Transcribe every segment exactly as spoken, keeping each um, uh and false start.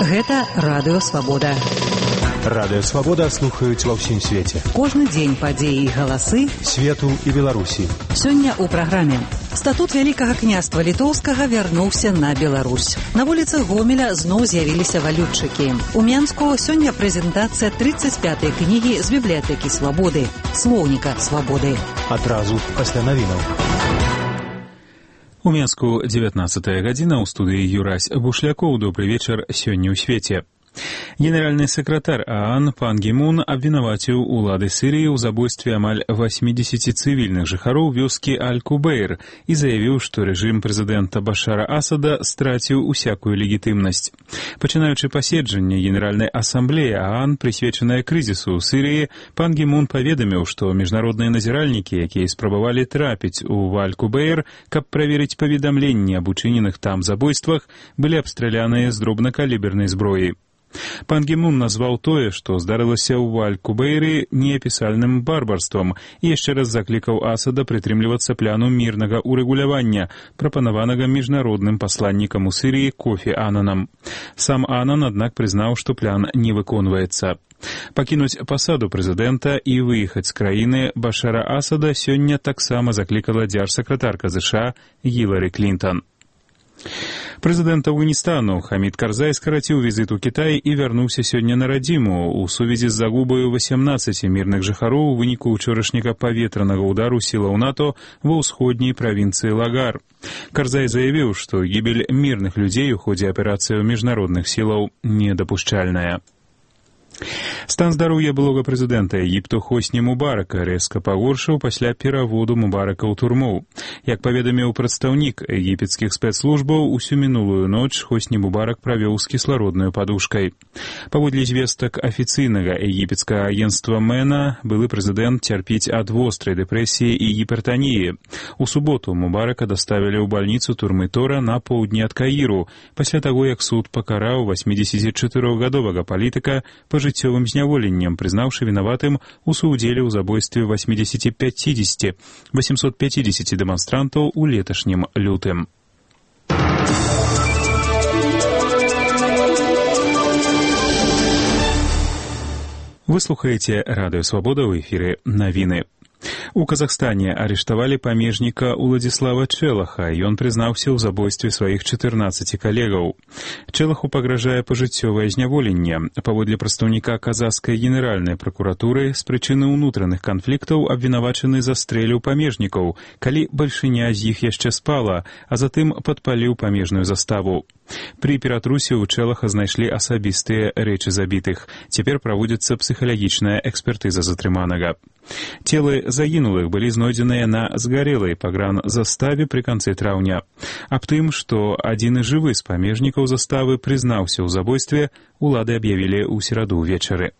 Гэта Радыё Свабода. Радыё Свабода слухаюць ва ўсім свеце. Кожны дзень падзеі і галасы свету і Беларусі. Сёння ў праграме. Статут Вялікага княства Літоўскага вярнуўся на Беларусь. На вуліцах Гомеля зноў з'явіліся валютчыкі. У Менску сёння прэзентацыя тридцаць пятай кнігі з бібліятэкі Свабоды, слоўніка Свабоды. Адразу пасля навінаў. У Менску дзевятнаццатая гадзіна, ў студыі Юрась Бушлякоў. Добры вечар сёння ў свеце. Генеральны сакратар ААН пан Гі Мун абвінаваціў улады Сірыі ў забойстве амаль восьмідзесяці цывільных жыхароў вёскі Аль-Кубейр і заявіў, што рэжым прэзідэнта Башара Асада страціў усякую легітымнасць. Пачынаючы паседжанне Генеральнай асамблеі ААН, прысвечанае крызісу ў Сірыі, пан Гі Мун паведаміў, што міжнародныя назіральнікі, якія спрабавалі трапіць у Аль-Кубейр, каб праверыць паведамленні аб учыненых там забойствах, былі абстраляныя з дробнакалібернай зброі. Пан Гі Мун назваў тое, што здарылася ў Аль-Кубейры, неапісальным барбарствам і яшчэ раз заклікаў Асада прытрымлівацца пляну мірнага урэгулявання, прапанаванага міжнародным пасланнікам у Сірыі Кофі Ананам. Сам Анан, аднак, прызнаў, што план не выконваецца. Пакінуць пасаду прэзідэнта і выехаць з краіны Башара Асада сёння таксама заклікала дзяржсакратарка ЗША Гілары Клінтон. Прэзідэнт Афганістану Хамід Карзай скараціў візіт у Кітай і вярнуўся сёння на радзіму у сувязі з загубаю васямнаццаці мірных жыхароў у выніку ўчорашняга паветранага ўдару сілаў НАТО ва ўсходняй правінцыі Лагар. Карзай заявіў, што гібель мірных людзей у ходзе аперацыяў міжнародных сілаў недапушчальная. Стан здароўя былога прэзідэнта Егіпту Хосні Мубарака рэзка пагоршыў пасля пераводу Мубарака ў турму. Як паведаміў прадстаўнік егіпецкіх спецслужбаў, усю мінулую ноч Хосні Мубарак правёў з кіслароднаю падушкай. Паводле звестак афіцыйнага егіпецкага агенцтва Мэна, былы прэзідэнт цярпіць ад вострай дэпрэсіі і гіпертаніі. У суботу Мубарака даставілі ў бальніцу турмы Тора на поўдні ад Каіру, пасля таго, як суд пакараў васьмідзесяцічатырохгадовага палітыка пажыццёвым зняволеннем, прызнаўшы вінаватым у суудзеле ў забойстве восьмідзесяці пяцідзесяці восемсот пяцідзесяці дэманстрантаў у леташнім лютым. Вы слухаеце Радыё Свабода, ў эфіры навіны. У Казахстане арыштавалі памежніка Уладзіслава Чэлаха, і ён прызнаўся ў забойстве сваіх чатырнаццаці калегаў. Чэлаху пагражае пажыццёвае зняволенне. Паводле прадстаўніка казахскай генеральнай пракуратуры, з прычыны ўнутраных канфліктаў абвінавачаны застрэліў памежнікаў, калі бальшыня з іх яшчэ спала, а затым падпаліў памежную заставу. Пры ператрусе ў Чэлаха знайшлі асабістыя рэчы забітых. Цяпер праводзіцца псіхалагічная экспертыза затрыманага. Целы загінулых былі знойдзеныя на згарэлай пагранзаставе пры канцы траўня. Аб тым, што адзіны жывы з памежнікаў заставы прызнаўся ў забойстве, улады аб'явілі ў сераду ўвечары.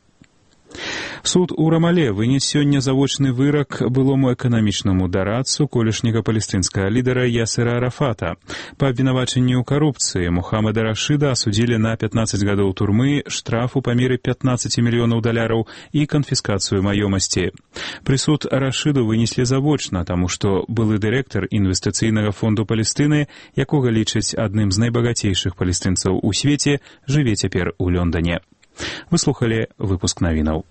Суд у Рамале вынес сёння завочны вырак былому эканамічнаму дарадцу колішняга палестынскага лідара Ясера Арафата. Па абвінавачанні ў карупцыі Мухаммада Рашыда асудзілі на пятнаццаць гадоў турмы, штраф у памеры пятнаццаць мільёнаў даляраў і канфіскацыю маёмасці. Прысуд Рашыду вынеслі завочна, таму што былы дырэктар інвестыцыйнага фонду Палестыны, якога лічаць адным з найбагацейшых палестынцаў у свеце, жыве цяпер у Лондоне. Вы слухалі выпуск навінаў.